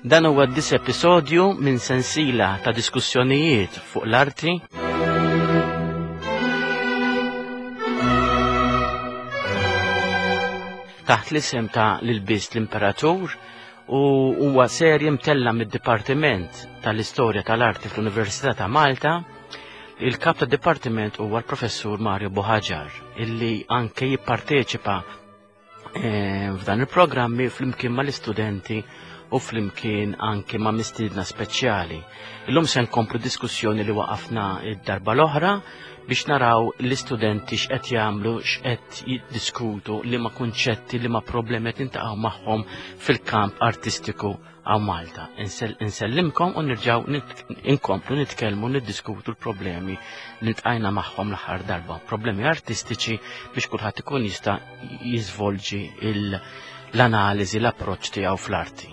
Dan huwa d-dis episodju minn sensila ta' diskussjonijiet fuq l-arti. Taħt l-isem ta' l-ilbis l-Imperatur u huwa serje mtella mid-Dipartiment tal-Istorja tal-Arti fl-Università ta' Malta. Il-kap tad dipartiment huwa l-Professur Mario Buhaġar illi anke jipparteċipa eh, f'dan il-programmi flimkien mal-istudenti u flimkien anke ma' mistiedna speċjali. Illum se nkomplu diskussjoni li waqafna id-darba l-oħra biex naraw l-istudenti x'qed jagħmlu, x'qed jiddiskutu, liema kunċetti, liema problemi qed nintaqgħu magħhom fil-kamp artistiku għaw Malta. Insellimkom u nirġaw inkomplu nitkellmu niddiskutu l-problemi li ntqajna magħhom l-aħħar darba, problemi artistiċi biex kulħadd ikun jista' jiżvolġi l-analiżi, l-approċċ tiegħu fl-arti.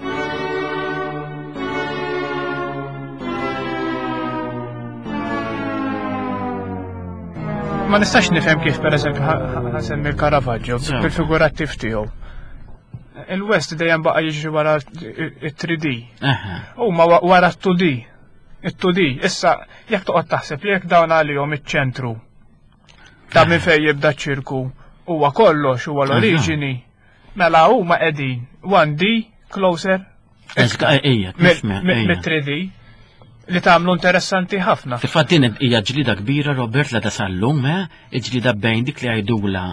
Ma nistax nifhem kif pereżempju ħasemmi l-Caravaggio bil-figurattiv tiegħu. Il-West dejjem baqa' jiġri wara it-3D. Huma wara t-2D. It-2D. Issa jekk toqgħod taħseb li jekk dawn għalihom iċ-ċentru ta' minn fejn jibda ċ-ċirku huwa kollox huwa l-oriġini. Mela huma qegħdin 1D closer mit-3D li tagħmlu interessanti ħafna. Fil-fatt din hija ġlida kbira Robert la tasallum, eh? ġlida bejn dik li għajdula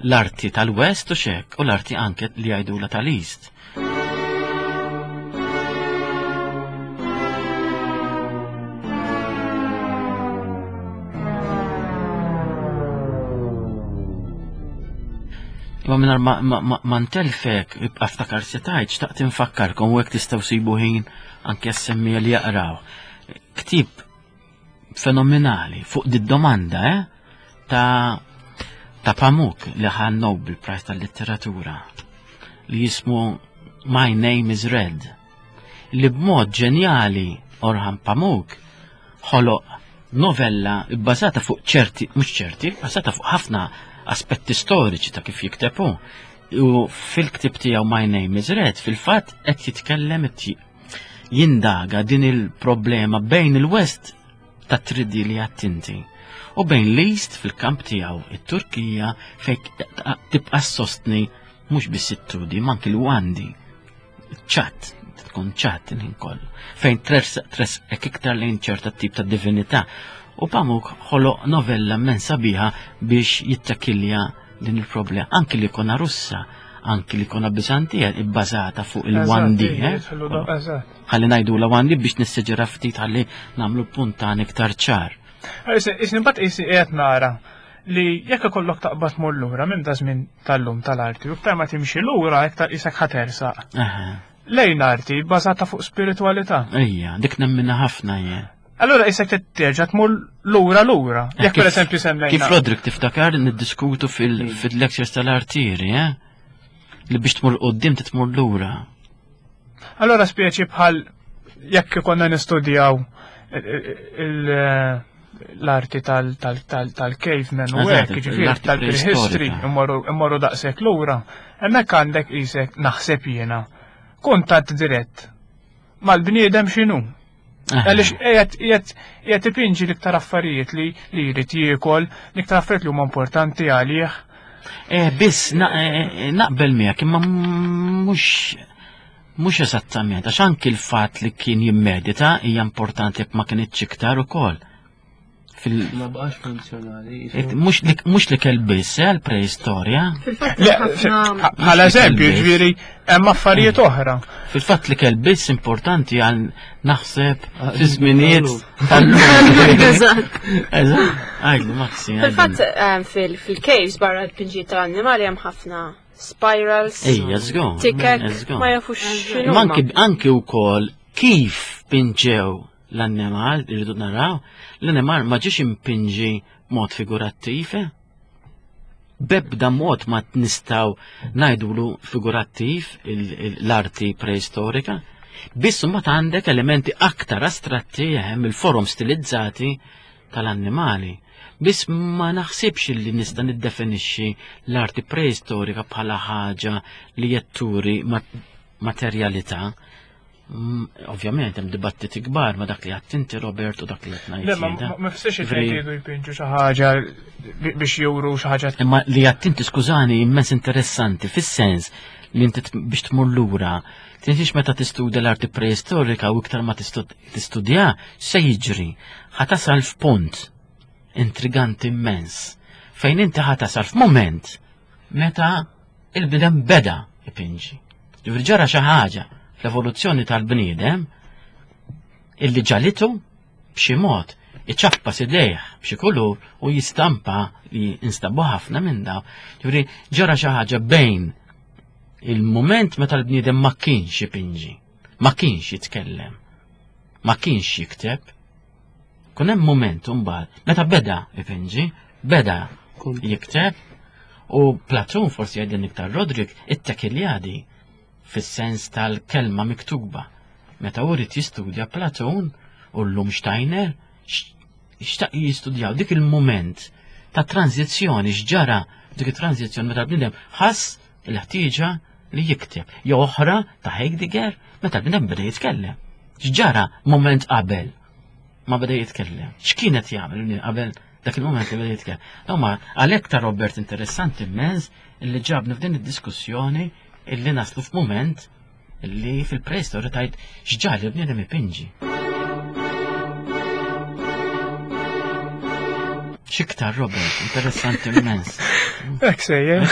l-arti tal-West u xek u l-arti anke li għajdula tal-East. Imma mingħajr ma, ma, ma, ma ntelfek, ibqa' ftakar se tgħid, xtaqt infakkarkom u hekk tistgħu sibu ħin anke s-semmija li jaqraw. Ktib fenomenali fuq di domanda eh, ta' ta' Pamuk li ħa Nobel Prize tal-Litteratura li jismu My Name is Red li b'mod ġenjali Orhan Pamuk ħoloq novella bbażata fuq ċerti, mhux ċerti, bbażata fuq ħafna aspetti storiċi ta' kif jikteb hu. U fil-ktib tiegħu My Name is Red fil-fatt qed jitkellem jindaga din il-problema bejn il-West ta' 3D li għattinti u bejn l-East fil-kamp tiegħu it-Turkija fejn tibqa' sostni mhux biss it-2D ma anki l-1D ċat, tkun ċat il-ħin kollu, fejn tresqek iktar lejn ċerta tip ta' divinità. U Pamuk ħoloq novella men sabiħa biex jittakilja din il-problema. Anki li kona Russa, anki li kona Bizantija ibbażata fuq il-1D. Eh? Ħalli ngħidu la 1D biex nisseġera ftit ħalli nagħmlu puntan iktar ċar. Isni bat isni qiegħed nara li jekk ikollok taqbad mur lura minn da żmien tal-lum tal-arti, u iktar ma timxi lura iktar isek ħatersaq. Lejn arti bbażata fuq spiritualità. Ejja, dik nemmina ħafna jien. Allura isek terġa' tmur lura lura. Eh, jekk pereżempju semmejna. Kif Rodrik tiftakar niddiskutu fil-lectures tal-artieri, eh? Li biex tmur qudiem titmur lura. Allora spieċi bħal jekk ikonna nistudjaw l-arti tal-caveman u hekk, jiġifieri tal-prehistory, immorru daqshekk lura, hemmhekk għandek isek naħseb jiena kuntatt dirett mal-bniedem x'inhu. Għaliex qiegħed qiegħed ipinġi l-iktar affarijiet li li jrid jiekol, l-iktar affarijiet li huma importanti għalih. Eh, biss eh, eh, naqbel miegħek imma mhux mhux eżattament, għax anki l-fatt li kien jimmedita hija importanti jekk ma kinitx iktar ukoll. Fil Ma baqax funzjonali. Mhux li kell biss, eh, għal preistorja. Bħala eżempju, ġifieri hemm affarijiet mm. oħra. Fil-fatt li kell biss importanti għal naħseb ah, fi żminijiet tal-lum. Eżatt. Eżatt. Għajdu, Maxi. Fil-fatt eh, fil-caves barra l-pinġiet tal-annimali hemm ħafna spirals. Ejja, żgur. Tikek, ma jafux x'inhu. Anki wkoll kif pinġew L-annimal, irridu naraw, l-annimal ma ġiex impinġi mod figurattiv, eh? Bebda mod ma nistaw najdulu figurattiv l-arti preistorika. Biss mbagħad għandek elementi aktar astratti eh, mill-forom stilizzati tal-annimali. Biss ma naħsibx li nista' niddefinixxi l-arti preistorika bħala ħaġa li jetturi materjalità. Ovvjament hemm dibattiti kbar ma dak li għadt inti Robert u dak li qed ngħid. Le, ma fissirx li jridu jpinġu xi ħaġa biex juru xi ħaġa. Imma li għadt inti skużani immens interessanti fis-sens li inti biex tmur lura tinsiex meta tistudja l-arti preistorika u iktar ma tistudja se jiġri ħa tasal f'punt intriganti immens fejn inti ħa tasal f'mument meta il-bniedem beda ipinġi. Ġifieri ġara xi ħaġa fl-evoluzzjoni tal-bniedem illi ġalitu b'xi mod iċappas idejh b'xi kulur u jistampa li instabu ħafna minn daw. Ġifieri ġara xi ħaġa bejn il-mument meta l-bniedem ma kienx ipinġi, ma kienx jitkellem, ma kienx jikteb, Kun hemm mument imbagħad meta beda ipinġi, beda jikteb u Platun forsi jgħidilna iktar Rodrik it-Tekiljadi fis-sens tal-kelma miktuba. Meta hu rid jistudja Platun u llum Steiner xtaq jistudjaw dik il-mument ta' tranzizzjoni x'ġara dik it-tranzizzjoni meta l-bniedem ħass il-ħtieġa li jikteb. Jew oħra ta' Heidegger meta l-bniedem beda jitkellem. X'ġara mument qabel ma beda jitkellem? X'kien qed jagħmel qabel dak il-mument li beda jitkellem? Huma għalhekk ta' Robert interessanti immens illi ġabni f'din id-diskussjoni illi naslu f'mument li fil-preistorja tajt x'ġali bniedem ipinġi. Xiktar, Robert, interessanti immens. Ek sejjer.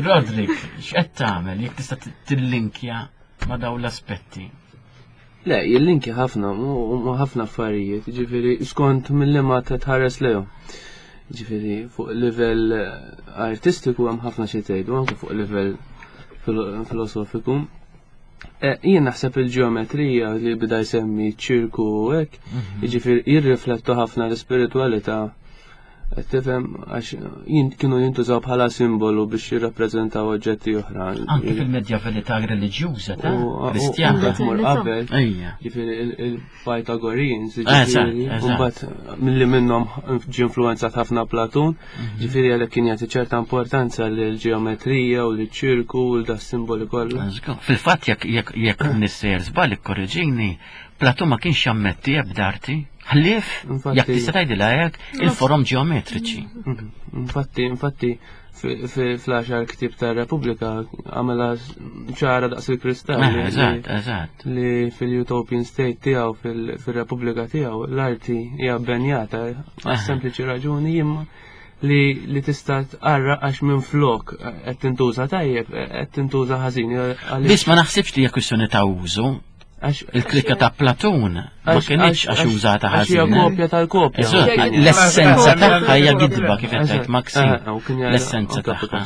Rodrik, x'qed tagħmel jekk tista' tillinkja ma' dawn l-aspetti? Le, jillinkja ħafna, ma' ħafna affarijiet, ġifieri skont mill ma tħares lejhom. Ġifieri fuq livell artistiku hemm ħafna xi tgħidu, anke fuq livell filosofiku. Eh, jien naħseb il-ġeometrija li bida jsemmi ċirku u hekk, mhm. jiġifieri jirriflettu ħafna l-ispiritwalità Tifhem għax kienu jintużaw bħala simbolu biex jirrappreżentaw oġġetti oħra. Anke fil-medjavalità reliġjuża ta' Kristjana. Tmur qabel. Ġifieri il-Pythagoreans, ġifieri, mbagħad milli minnhom ġie influwenzat ħafna Platun, mhm. ġifieri għalhekk kien jagħti ċerta importanza lill-ġeometrija u liċ-ċirku u da simboli kollha. Fil-fatt jekk jekk nissejjer żball ikkorreġini, Platun ma kienx jammetti ebda arti. Ħlief, jekk tista' tgħidilha hekk, il-forom ġeometriċi. Mhm. Infatti, infatti, fl-għaxar ktib ta' Repubblika għamela ċara daqs il-kristall. Eh, eżatt, eżatt. Li fil-Utopian State tiegħu fil-Repubblika tiegħu l-arti hija benjata għal eh. sempliċi raġuni imma li li tista' tqarra għax minn flok qed tintuża tajjeb qed tintuża ħażin. Biss ma naħsibx li hija kwistjoni ta' użu. Il-klikka ta' Platun ma kienx għax użata ħażin. Hija kopja tal-kopja. L-essenza tagħha hija gidba kif qed tgħid Maxi. Eh, L-essenza tagħha.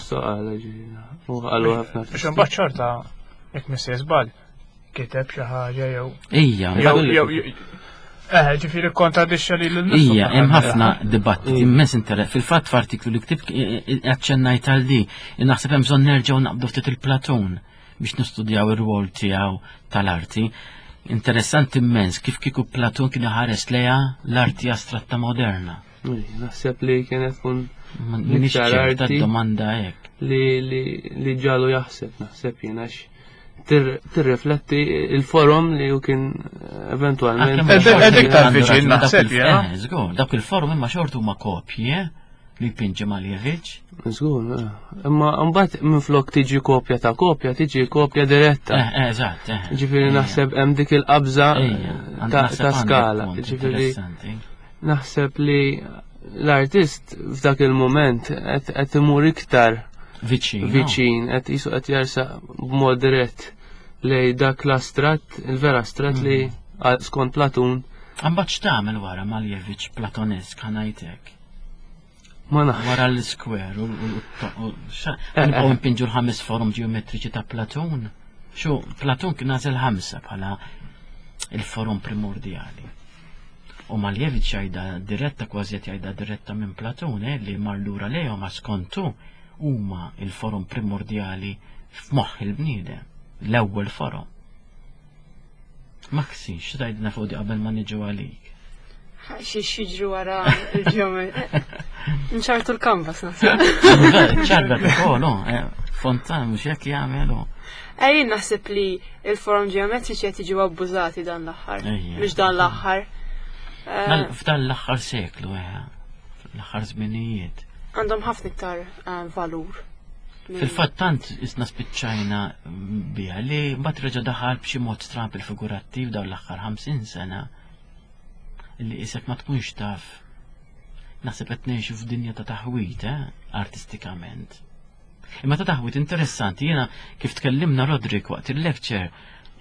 U qalu ħafna. Biex imbagħad xorta jekk missi żball kiteb xi ħaġa jew. Ija. Eh, ġifieri kontradixxa li l Ija, hemm ħafna dibattiti immens interess. Fil-fatt f'artiklu li ktibt aċċennajt għal di, naħseb hemm bżonn nerġgħu naqbdu ftit il-Platun biex nistudjaw ir-rwol tiegħu tal-arti. Interessanti immens kif kieku Platun kien iħares lejha l-arti astratta moderna. Naħseb li kienet tkun iktar arti domanda hekk. Li li ġalu jaħseb, naħseb jien għax tirrifletti il-forum li ju kien eventualment. Ed iktar viċin naħseb jien. Eh, żgur, dawk il-forum imma xortu ma kopji, eh? Li jpinġi Maljevic. Żgur, eh. imma mbagħad minflok tiġi kopja ta' kopja, tiġi kopja diretta. Eh, eh, eżatt. Ġifieri naħseb hemm dik il-qabża ta' skala. Ġifieri naħseb li l-artist f'dak il-moment qed imur iktar viċin, viċin, qed jisu qed jersaq b'mod dirett lej dak l-astrat, il-vera astrat li mm. skont Platun. Mbagħad x'tagħmel wara Maljevic Platonesk ħanajtek? Ma nafx. Wara l-square u nibqgħu npinġu l-ħames forum ġeometriċi ta' Platun. Xu, Platun kien għażel ħamsa bħala il-forum primordjali. U Maljevic jgħidha diretta kważi qed jgħidha diretta minn Platun eh, li mar lura lejhom għax skontu huma il-forum primordjali f'moħħ il-bniedem, l-ewwel forum. Maxi, x'tgħidilna fuq di qabel ma niġu għalik? Xi xiġru wara il-ġeometri. Nċartu l-kanvas naħseb. Ċarra ukoll, eh, Fontan mhux hekk jagħmelu. Ejjin naħseb li il-forum ġeometriċi qed jiġu abbużati dan l-aħħar. Mhux dan l-aħħar. Eh, f'dan l-aħħar seklu, eh, l-aħħar żminijiet. Għandhom ħafna iktar valur. Fil-fatt tant isna spiċċajna biha li mbagħad reġa' daħal b'xi mod stramp il-figurattiv dawn l-aħħar 50 sena li isek ma tkunx taf naħseb qed ngħixu f'dinja ta' taħwit eh, artistikament. Imma ta' taħwit interessanti jiena kif tkellimna Rodrik waqt il-lecture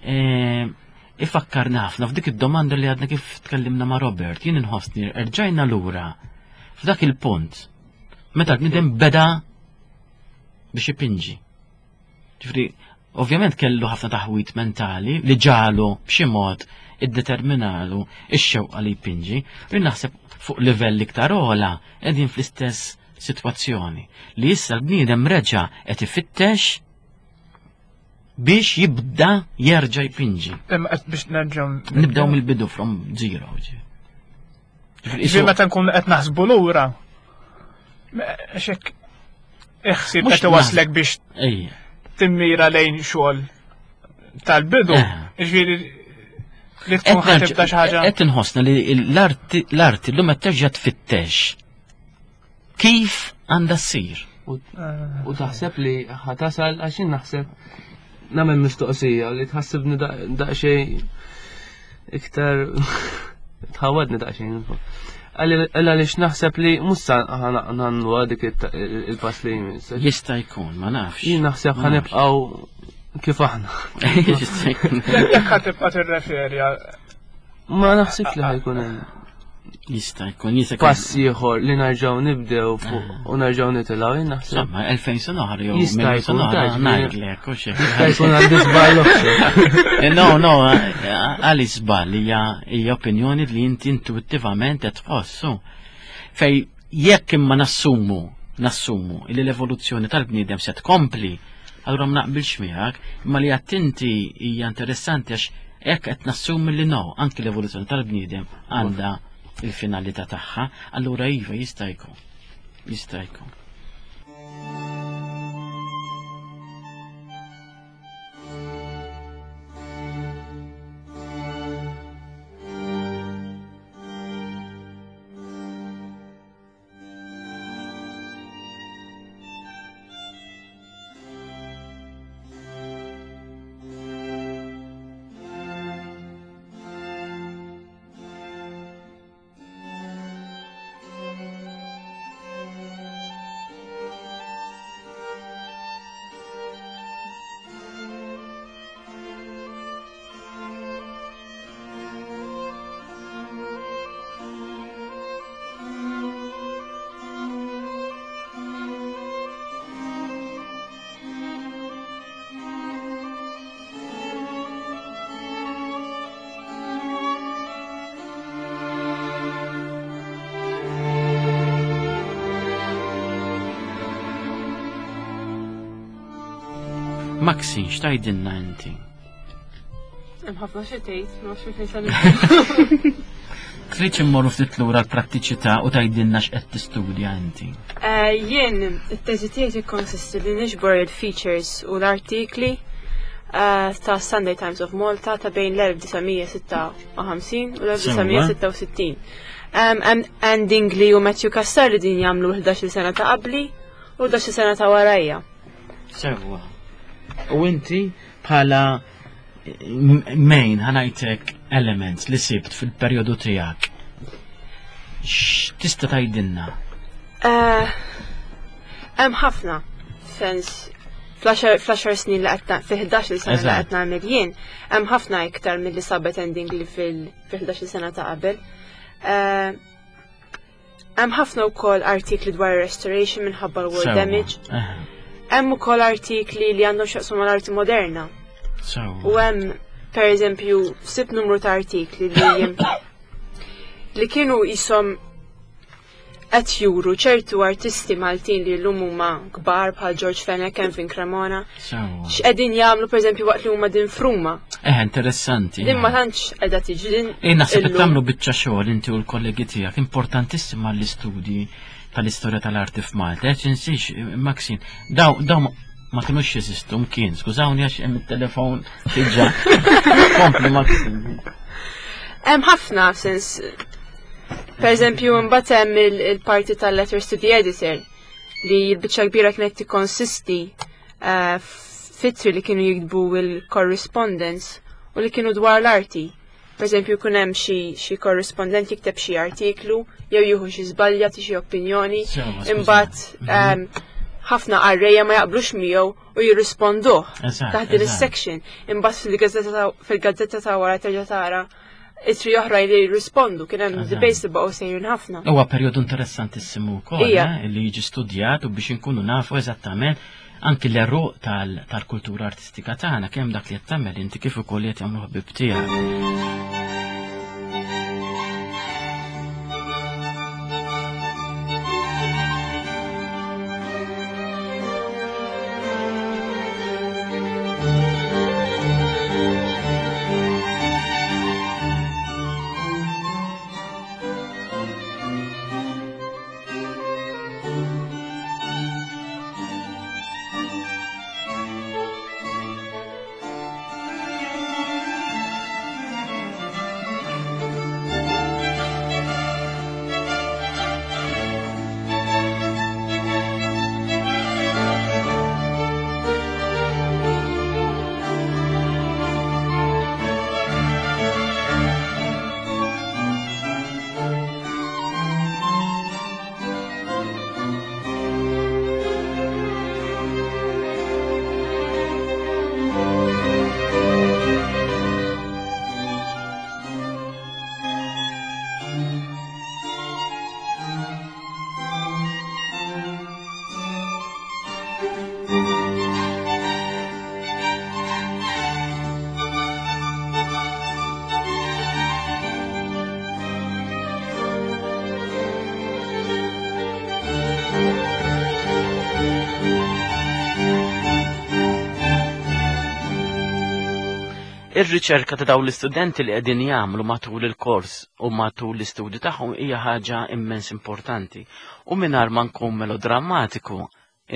eh, ifakkarni ħafna f'dik id-domanda li għadna kif tkellimna ma' Robert, jien inħossni erġajna lura f'dak il-punt meta l-bniedem beda biex ipinġi. Ġifri, ovvjament kellu ħafna taħwit mentali li ġalu b'xi mod iddeterminalu ix-xewqa li jpinġi, u naħseb fuq livell iktar ogħla qegħdin fl-istess sitwazzjoni li issa l-bniedem reġa' qed ifittex biex jibda jerġa' jpinġi. Imma qed biex nerġgħu nibdew mill-bidu from zero. Ġifieri meta nkun qed naħsbu lura. Xek iħsib qed iwaslek biex timmira lejn xogħol tal-bidu. Eh. Ġifieri li tkun ħatibda xi ħaġa. Qed inħossna li l-arti llum qed terġa' tfittex kif għandha ssir. U taħseb li ħatasal għax jien naħseb nagħmel mistoqsija li tħassibni daqsxejn iktar tħawadni daqsxejn. Għaliex naħseb li mhux ħanannu dik il-pass li jmiss. Jista' jkun, ma nafx. Jien naħseb ħanibqgħu kif aħna. Jekk ħatibqa' tirreferi Ma naħsibx li ħajkun hemm. Jista' jkun jista' jkun. Pass ieħor li narġgħu nibdew fuq ah. u nerġgħu nitilgħu jien naħseb. Insomma, 2000 sena oħra jew jista' jkun ngħidlek u xi. Jista' jkun għandi żball eh, No, no, eh, għali żball hija hija opinjoni li inti intuittivament qed tħossu. Fej jekk imma nassumu nassumu li l-evoluzzjoni tal-bniedem se tkompli, allura ma naqbilx miegħek, imma li għattinti hija interessanti għax Hekk qed nassumi li no, anki l-evoluzzjoni tal-bniedem għandha il-finalità tagħha, allura iva jista' jkun. Jista' jkun. Maxi, x'tajdilna inti? Hemm ħafna xi tgħid, ma nafx fejn se Trid immorru ftit lura l-prattiċità u tgħidilna x'qed tistudja inti. Eh, jien it-teżi tiegħi tikkonsisti li niġbor il-features u l-artikli eh, ta' Sunday Times of Malta ta' bejn l-1956 u l-1966. Ann Dingley u Matthew Cassar li din jagħmlu 11 sena ta' qabli u 11 sena ta' warajja. Sewwa. U inti bħala main ħanajtek elements li sibt fil-perjodu tiegħek. X'tista' tgħidilna? Eh, hemm ħafna sens fl-10 snin li qed fi 11 sena li qed nagħmel jien, hemm ħafna iktar milli sabet ending li fil-11 sena ta' qabel. Eh, Hemm ħafna wkoll artikli dwar restoration minħabba l-war damage. Hemm ukoll artikli li għandhom x'jaqsmu mal-arti moderna. U hemm pereżempju sib numru ta' artikli li li kienu jisom qed juru ċertu artisti Maltin li llum huma kbar bħal George Fenech, Kevin Cremona. X'qegħdin jagħmlu pereżempju waqt li huma din fruma. Eh, interessanti. Din ma tantx qiegħda tiġi din. Eh, naħseb qed tagħmlu biċċa xogħol inti u l-kollegi tiegħek importantissima l-istudji tal-istorja tal-arti f'Malta. Eh, tinsiex, Maxine, daw daw ma kinux jeżistu mkien, skużawni għax hemm it-telefon diġà. Kompli Maxine. Hemm ħafna sens Per eżempju, mbagħad hemm il-parti tal-letters to the editor li l-biċċa kbira kienet tikkonsisti eh, fitri li kienu jiktbu il-correspondence u li kienu dwar l-arti. Per eżempju, kun hemm xi korrispondent jikteb xi artiklu jew jieħu xi żbalja jagħti xi opinjoni, imbagħad mhm. ehm, ħafna qarrejja ma jaqblux miegħu u jirrisponduh taħt din is-section. Imbagħad fil-gazzetta ta' wara terġa' tara itri oħra li jirrispondu kien hemm debates li baqgħu sejrin ħafna. Huwa perjodu interessantissimu wkoll eh, li jiġi studjat u biex inkunu nafu eżattament anki l-eruq tal-kultura artistika tagħna kemm dak li qed tagħmel inti kif ukoll qed jagħmlu ħbib tiegħek. Ir-riċerka ta' dawn l-istudenti li qegħdin jagħmlu matul il-kors u matul l-istudju tagħhom hija ħaġa immens importanti. U mingħajr ma nkun melodrammatiku,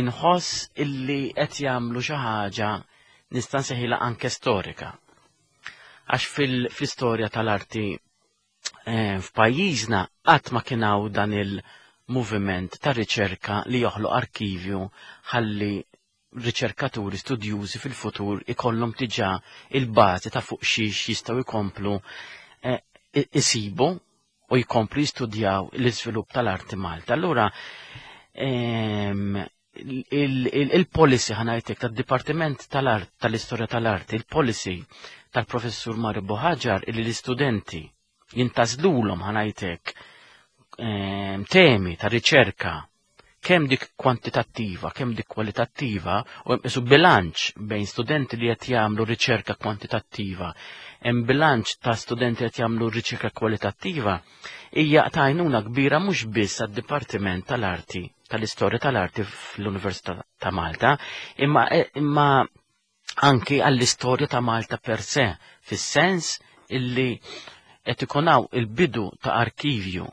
inħoss illi qed jagħmlu xi ħaġa nista' nsejħilha anke storika. Għax fil-istorja tal-arti eh, f'pajjiżna qatt ma kien hawn dan il-moviment ta' riċerka li joħloq arkivju ħalli riċerkaturi studjużi fil-futur ikollhom diġà il-bażi ta' fuq xiex jistgħu jkomplu eh, isibu u jkomplu jistudjaw l-iżvilupp tal-arti Malta. Allura ehm, il-policy ħanajtek tad-Dipartiment tal-Art tal-Istorja tal-Arti, il-policy tal-Professur Mario Boħaġar illi l-istudenti jintażlulhom ħanajtek ehm, temi ta' riċerka kemm dik kwantitattiva, kemm dik kwalitattiva, u hemm isu bilanċ bejn studenti li qed jagħmlu riċerka kwantitattiva, hemm bilanċ ta' studenti qed jagħmlu riċerka kwalitattiva, hija ta' għajnuna kbira mhux biss għad-Dipartiment tal-Arti tal-Istorja tal-Arti fl-Università ta' Malta, imma imma anki għall-istorja ta' Malta per se, fis-sens illi qed ikun hawn il-bidu ta' arkivju,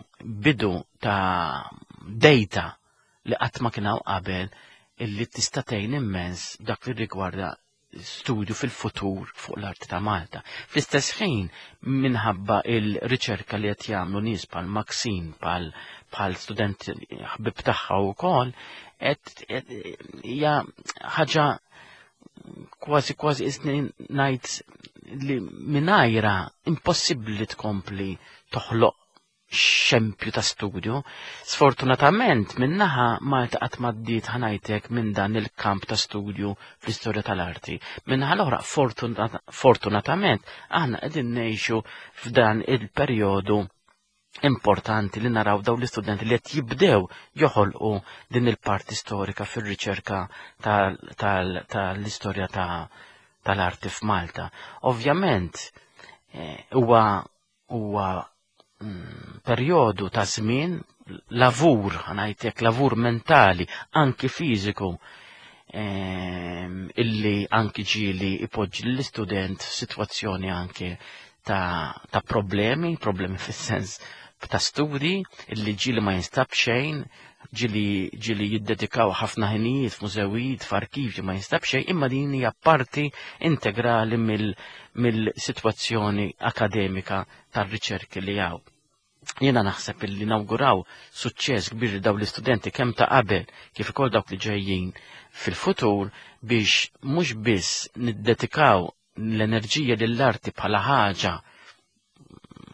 bidu ta' data li qatt ma kien hawn qabel illi tista' tgħin immens dak li rigwarda studju fil-futur fuq l-arti ta' Malta. Fl-istess ħin, minħabba il-riċerka li qed jagħmlu nies bħal Maxine, bħal bħal student ħbib tagħha wkoll, qed hija ħaġa kważi kważi isni ngħid li mingħajra impossibbli li tkompli toħloq xempju ta' studju. Sfortunatament minnaħa Malta qatt m'għaddiet ħanajtek minn dan il-kamp ta' studju fl-istorja tal-arti. Minnaħa l-oħra fortunatament aħna qegħdin ngħixu f'dan il-perjodu importanti li naraw daw l-istudenti li qed jibdew joħolqu din il-parti storika fir-riċerka tal-istorja tal-arti f'Malta. Ovvjament eh, huwa huwa mm, perjodu ta' żmien lavur, ngħidlek lavur mentali, anki fiżiku, ehm, illi anki ġieli ipoġġi l-istudent f'sitwazzjoni anki ta', ta problemi, problemi fis-sens ta' studi, illi ġieli ma jinstab xejn, ġieli ġieli jiddedikaw ħafna ħinijiet f'mużewijiet, f'arkivji ma jinstab xejn, imma din hija parti integrali mill-sitwazzjoni akademika tar-riċerki li hawn. Jiena naħseb illi nawguraw suċċess kbir li dawn l-istudenti kemm ta' qabel kif ukoll dawk li ġejjin fil-futur biex mhux biss niddedikaw l-enerġija lill-arti bħala ħaġa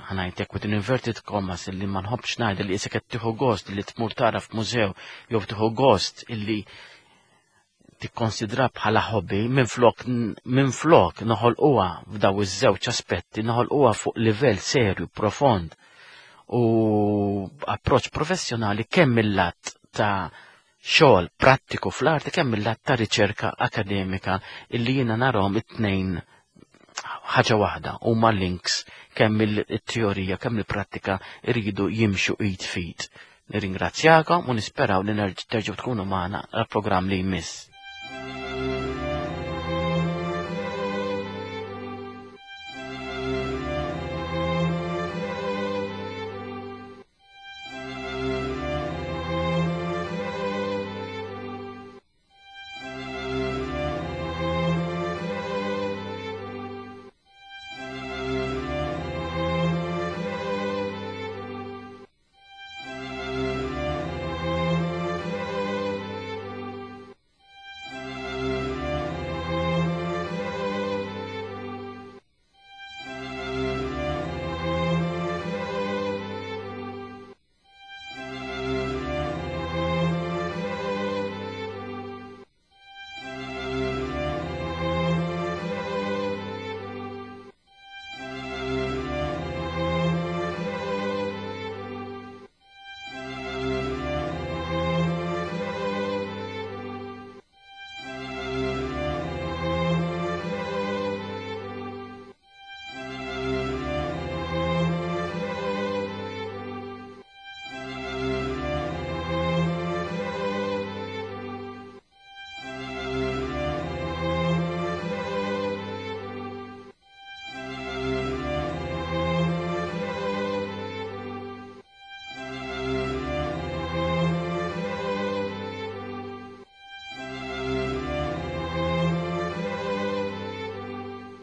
ħanajtek with an inverted commas illi ma nħobbx ngħid li isek qed tieħu gost li tmur tara f'mużew jew tieħu gost illi tikkonsidra bħala hobby minflok minflok noħolquha f'daw iż-żewġ aspetti noħolquha fuq livell serju profond u approċċ professjonali kemm mill-lat ta' xogħol prattiku fl-arti kemm mill-lat ta' riċerka akademika illi jiena narahom it-tnejn ħaġa waħda huma links kemm il-teorija kemm il-prattika jridu jimxu id fid. Nirringrazzjakom u nisperaw li terġgħu tkunu magħna għall-programm li jmiss.